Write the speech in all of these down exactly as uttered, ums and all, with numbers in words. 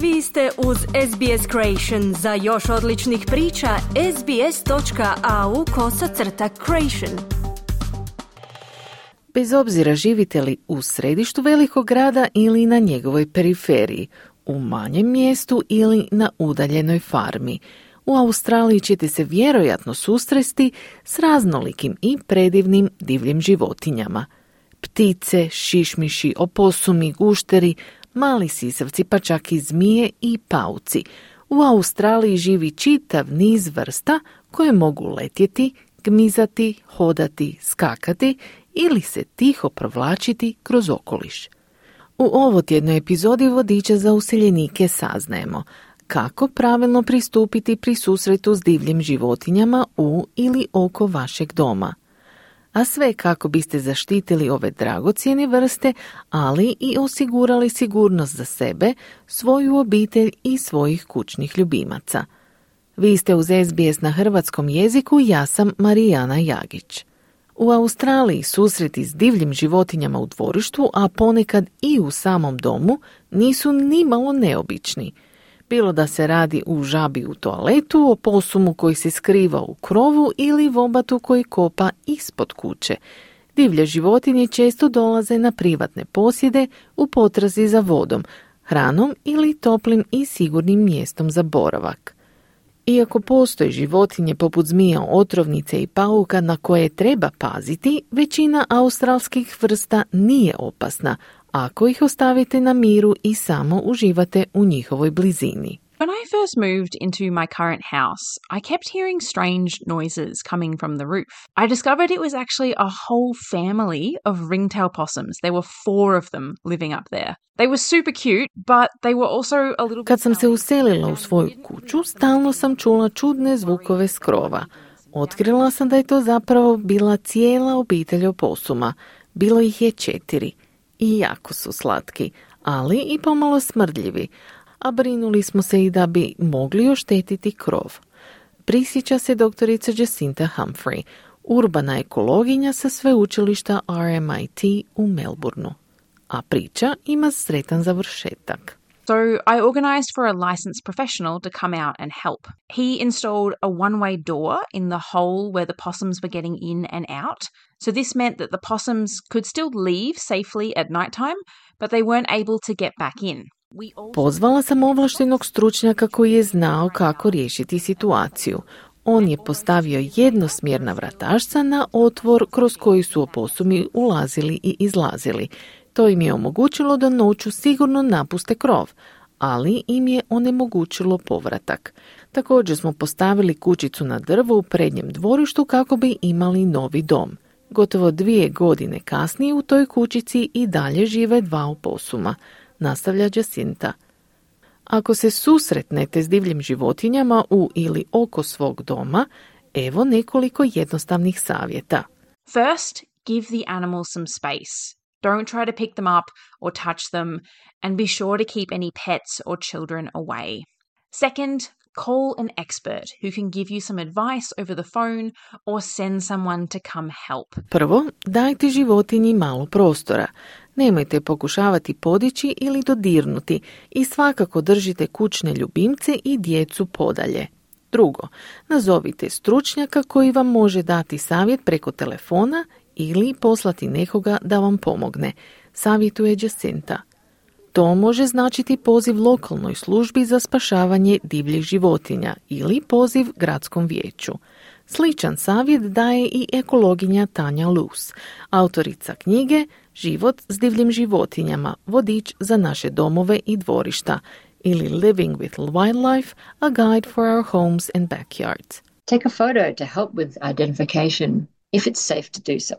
Vi ste uz S B S Creation. Za još odličnih priča, sbs.au kosacrta creation. Bez obzira živite li u središtu velikog grada ili na njegovoj periferiji, u manjem mjestu ili na udaljenoj farmi, u Australiji ćete se vjerojatno susresti s raznolikim i predivnim divljim životinjama. Ptice, šišmiši, oposumi, gušteri, mali sisavci, pa čak i zmije i pauci. U Australiji živi čitav niz vrsta koje mogu letjeti, gmizati, hodati, skakati ili se tiho provlačiti kroz okoliš. U ovotjednoj epizodi Vodiča za useljenike saznajemo kako pravilno pristupiti pri susretu s divljim životinjama u ili oko vašeg doma. A sve kako biste zaštitili ove dragocjene vrste, ali i osigurali sigurnost za sebe, svoju obitelj i svojih kućnih ljubimaca. Vi ste uz S B S na hrvatskom jeziku, ja sam Marijana Jagić. U Australiji susreti s divljim životinjama u dvorištu, a ponekad i u samom domu, nisu nimalo neobični. Bilo da se radi u žabi u toaletu, o posumu koji se skriva u krovu ili vobatu koji kopa ispod kuće. Divlje životinje često dolaze na privatne posjede u potrazi za vodom, hranom ili toplim i sigurnim mjestom za boravak. Iako postoje životinje poput zmija, otrovnice i pauka na koje treba paziti, većina australskih vrsta nije opasna ako ih ostavite na miru i samo uživate u njihovoj blizini. When I first moved into my current house, I kept hearing strange noises coming from the roof. I discovered it was actually a whole family of ringtail possums. There were four of them living up there. They were super cute, but they were also a little bit... Kad sam se uselila u svoju kuću, stalno sam čula čudne zvukove s krova. Otkrila sam da je to zapravo bila cijela obitelj oposuma. Bilo ih je četiri. I jako su slatki, ali i pomalo smrdljivi, a brinuli smo se i da bi mogli oštetiti krov. Prisjeća se doktorica Jacinta Humphrey, urbana ekologinja sa sveučilišta R M I T u Melbourneu. A priča ima sretan završetak. So I organised for a licensed professional to come out and help. He installed a one-way door in the hole where the possums were getting in and out. So this meant that the possums could still leave safely at nighttime, but they weren't able to get back in. Pozvala sam ovlaštenog stručnjaka koji je znao kako riješiti situaciju. On je postavio jednosmjerna vratašca na otvor kroz koji su oposumi ulazili i izlazili. To im je omogućilo da noću sigurno napuste krov, ali im je onemogućilo povratak. Također smo postavili kućicu na drvo u prednjem dvorištu kako bi imali novi dom. Gotovo dvije godine kasnije u toj kućici i dalje žive dva oposuma, nastavlja Jacinta. Ako se susretnete s divljim životinjama u ili oko svog doma, evo nekoliko jednostavnih savjeta. First, give the animals some space. Don't try to pick them up or touch them, and be sure to keep any pets or children away. Second, call an expert who can give you some advice over the phone or send someone to come help. Prvo, dajte životinji malo prostora. Nemojte pokušavati podići ili dodirnuti i svakako držite kućne ljubimce i djecu podalje. Drugo, nazovite stručnjaka koji vam može dati savjet preko telefona ili poslati nekoga da vam pomogne, savjetuje Jacinta. To može značiti poziv lokalnoj službi za spašavanje divljih životinja ili poziv gradskom vijeću. Sličan savjet daje i ekologinja Tanja Luce, autorica knjige Život s divljim životinjama, vodič za naše domove i dvorišta, ili Living with Wildlife, a guide for our homes and backyards. Take a photo to help with identification, if it's safe to do so.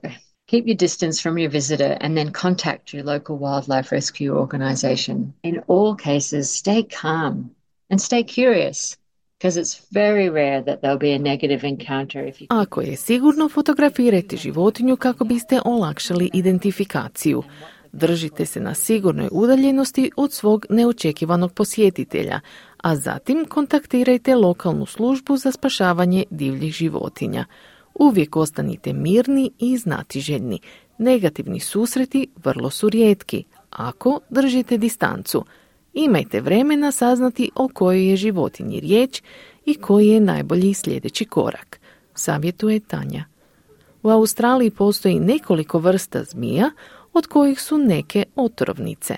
Keep your distance from your visitor and then contact your local wildlife rescue organization. In all cases, stay calm and stay curious, because it's very rare that there'll be a negative encounter if you... Ako je sigurno, fotografirajte životinju kako biste olakšali identifikaciju. Držite se na sigurnoj udaljenosti od svog neočekivanog posjetitelja, a zatim kontaktirajte lokalnu službu za spašavanje divljih životinja. Uvijek ostanite mirni i znatiželjni. Negativni susreti vrlo su rijetki, ako držite distancu. imajte vremena saznati o kojoj je životinji riječ i koji je najbolji sljedeći korak, savjetuje Tanja. U Australiji postoji nekoliko vrsta zmija, od kojih su neke otrovnice.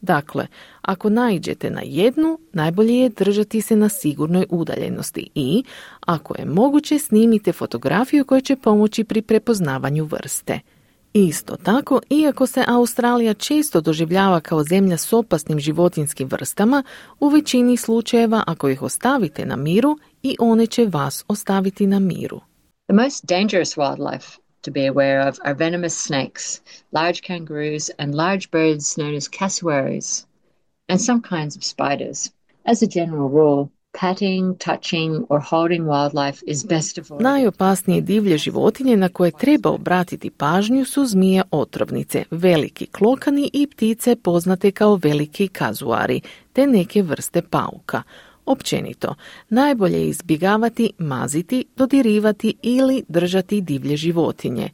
Dakle, ako naiđete na jednu, najbolje je držati se na sigurnoj udaljenosti i, ako je moguće, snimite fotografiju koja će pomoći pri prepoznavanju vrste. Isto tako, iako se Australija često doživljava kao zemlja s opasnim životinjskim vrstama, u većini slučajeva ako ih ostavite na miru, i one će vas ostaviti na miru. The most dangerous wildlife to be aware of are venomous snakes, large kangaroos and large birds known as cassowaries, and some kinds of spiders. As a general rule, patting, touching or holding wildlife is best avoided. Najopasnije divlje životinje na koje treba obratiti pažnju su zmije otrovnice, veliki klokani i ptice poznate kao veliki kazuari, te neke vrste pauka. Općenito, najbolje je izbjegavati, maziti, dodirivati ili držati divlje životinje.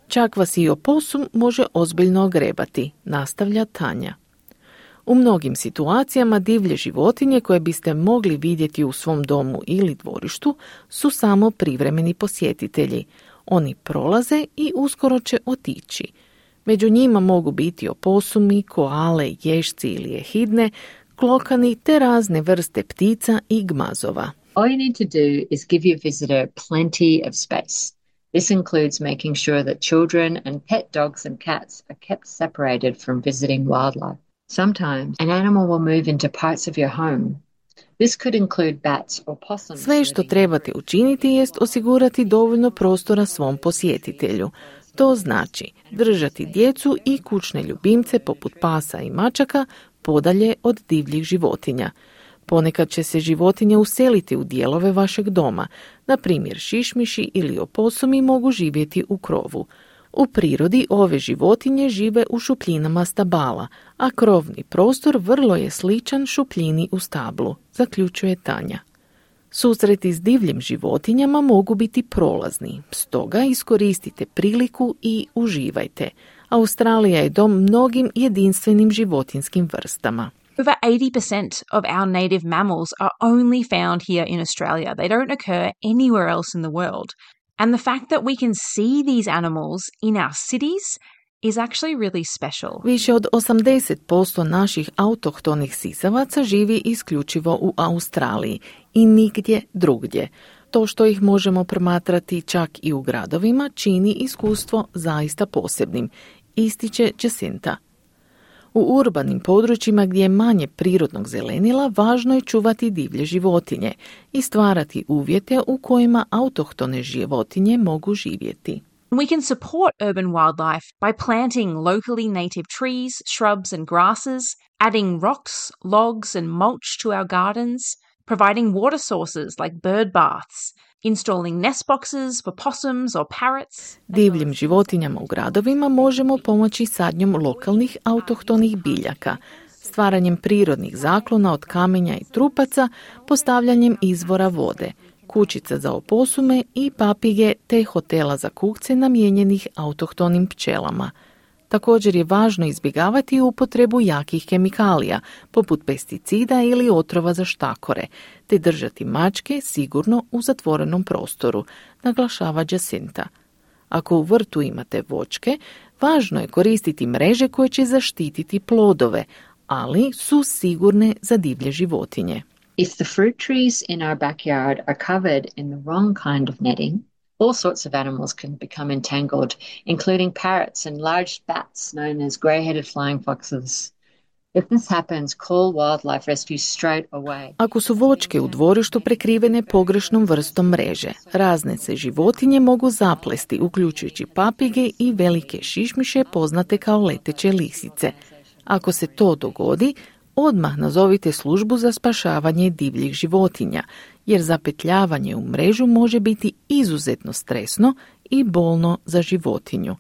Čak vas i oposum može ozbiljno ogrebati, nastavlja Tanja. U mnogim situacijama divlje životinje koje biste mogli vidjeti u svom domu ili dvorištu su samo privremeni posjetitelji. Oni prolaze i uskoro će otići. Među njima mogu biti oposumi, koale, ježci ili ehidne, klokani te razne vrste ptica i gmazova. All you need to do is give your visitor plenty of space. This includes making sure that children and pet dogs and cats are kept separated from visiting wildlife. Sometimes an animal will move into parts of your home. This could include bats or possums. Sve što trebate učiniti jest osigurati dovoljno prostora svom posjetitelju. To znači držati djecu i kućne ljubimce poput pasa i mačaka podalje od divljih životinja. Ponekad će se životinje useliti u dijelove vašeg doma, na primjer šišmiši ili oposumi mogu živjeti u krovu. U prirodi ove životinje žive u šupljinama stabala, a krovni prostor vrlo je sličan šupljini u stablu, zaključuje Tanja. Susreti s divljim životinjama mogu biti prolazni, stoga iskoristite priliku i uživajte. Australija je dom mnogim jedinstvenim životinjskim vrstama. Over eighty percent of our native mammals are only found here in Australia. They don't occur anywhere else in the world. And the fact that we can see these animals in our cities is actually really special. Više od osamdeset posto naših autohtonih sisavaca živi isključivo u Australiji i nigdje drugdje. To što ih možemo promatrati čak i u gradovima čini iskustvo zaista posebnim, ističe Jacinta. U urbanim područjima gdje je manje prirodnog zelenila, važno je čuvati divlje životinje i stvarati uvjete u kojima autohtone životinje mogu živjeti. We can support urban wildlife by planting locally native trees, shrubs and grasses, adding rocks, logs and mulch to our gardens, providing water sources like bird baths, installing nest boxes for possums or parrots. Divljim životinjama u gradovima možemo pomoći sadnjom lokalnih autohtonih biljaka, stvaranjem prirodnih zaklona od kamenja i trupaca, postavljanjem izvora vode, kućica za oposume i papige te hotela za kukce namijenjenih autohtonim pčelama. Također je važno izbjegavati upotrebu jakih kemikalija, poput pesticida ili otrova za štakore, te držati mačke sigurno u zatvorenom prostoru, naglašava Jacinta. Ako u vrtu imate voćke, važno je koristiti mreže koje će zaštititi plodove, ali su sigurne za divlje životinje. If the fruit trees in our backyard are covered in the wrong kind of netting, all sorts of animals can become entangled, including parrots and large bats known as grey-headed flying foxes. If this happens, call wildlife rescue straight away. Ako su voćke u dvorištu prekrivene pogrešnom vrstom mreže, razne se životinje mogu zaplesti, uključujući papige i velike šišmiše poznate kao leteće lisice. Ako se to dogodi, odmah nazovite službu za spašavanje divljih životinja, jer zapetljavanje u mrežu može biti izuzetno stresno i bolno za životinju.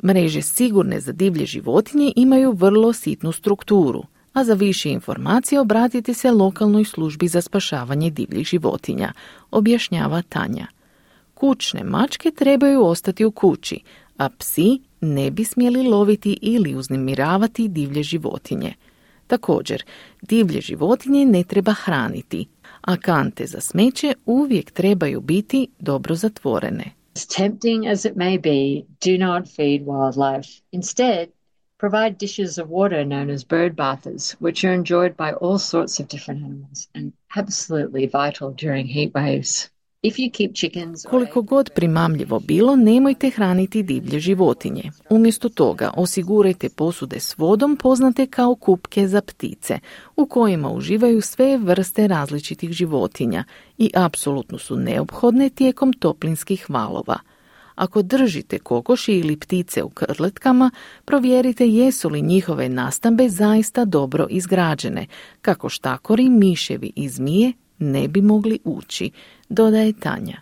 Mreže sigurne za divlje životinje imaju vrlo sitnu strukturu, a za više informacije obratite se lokalnoj službi za spašavanje divljih životinja, objašnjava Tanja. Kućne mačke trebaju ostati u kući, a psi ne bi smjeli loviti ili uznemiravati divlje životinje. Također, divlje životinje ne treba hraniti, a kante za smeće uvijek trebaju biti dobro zatvorene. As tempting as it may be, do not feed wildlife. Instead, provide dishes of water known as bird bathers, which are enjoyed by all sorts of different animals and absolutely vital during heat waves. If you keep chickens or Koliko god primamljivo bilo, nemojte hraniti divlje životinje. Umjesto toga osigurajte posude s vodom poznate kao kupke za ptice, u kojima uživaju sve vrste različitih životinja i apsolutno su neophodne tijekom toplinskih valova. Ako držite kokoši ili ptice u krletkama, provjerite jesu li njihove nastambe zaista dobro izgrađene, kako štakori, miševi i zmije ne bi mogli ući, dodaje Tanja.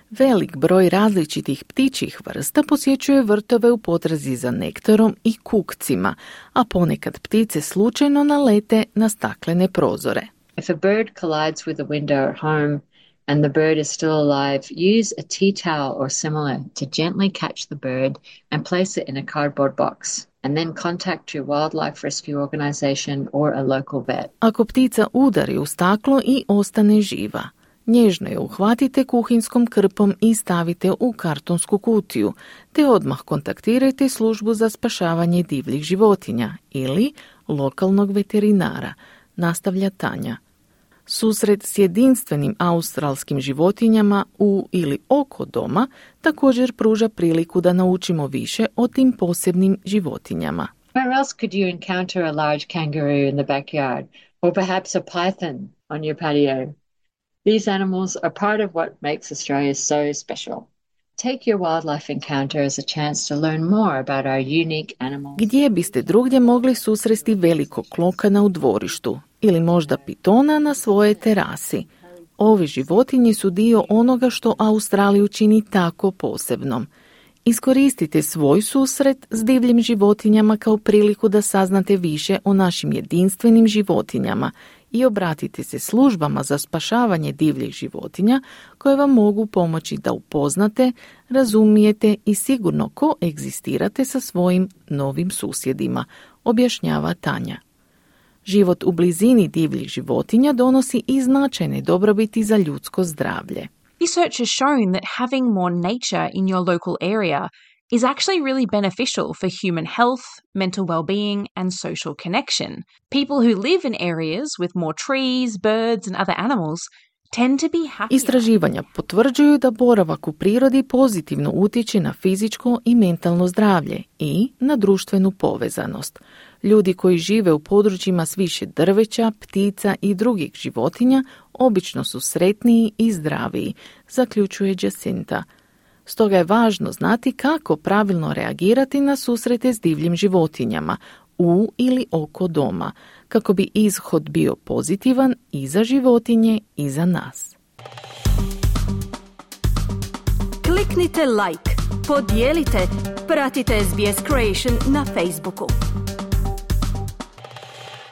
Velik broj različitih ptičjih vrsta posjećuje vrtove u potrazi za nektarom i kukcima, a ponekad ptice slučajno nalete na staklene prozore. if a bird collides with a window at home and the bird is still alive, use a tea towel or similar to gently catch the bird and place it in a cardboard box, and then contact your wildlife rescue organization or a local vet. Ako ptica udari u staklo i ostane živa, nježno je uhvatite kuhinskom krpom i stavite u kartonsku kutiju, te odmah kontaktirajte službu za spašavanje divljih životinja ili lokalnog veterinara, nastavlja Tanja. Susret s jedinstvenim australskim životinjama u ili oko doma također pruža priliku da naučimo više o tim posebnim životinjama. Where else could you encounter a large kangaroo in the backyard, or perhaps a python on your patio? These animals are part of what makes Australia so special. Take your wildlife encounter as a chance to learn more about our unique animals. Gdje biste drugdje mogli susresti velikog klokana u dvorištu ili možda pitona na svojoj terasi? Ovi životinji su dio onoga što Australiju čini tako posebnom. Iskoristite svoj susret s divljim životinjama kao priliku da saznate više o našim jedinstvenim životinjama i obratite se službama za spašavanje divljih životinja koje vam mogu pomoći da upoznate, razumijete i sigurno koegzistirate sa svojim novim susjedima, objašnjava Tanja. Život u blizini divljih životinja donosi i značajne dobrobiti za ljudsko zdravlje. Research has shown that having more nature in your local area is actually really beneficial for human health, mental well-being, and social connection. People who live in areas with more trees, birds, and other animals tend to be happier. Istraživanja potvrđuju da boravak u prirodi pozitivno utječe na fizičko i mentalno zdravlje i na društvenu povezanost. Ljudi koji žive u područjima s više drveća, ptica i drugih životinja obično su sretniji i zdraviji, zaključuje Jacinta. Stoga je važno znati kako pravilno reagirati na susrete s divljim životinjama u ili oko doma, kako bi ishod bio pozitivan i za životinje i za nas. Kliknite like, podijelite, pratite S B S Creation na Facebooku.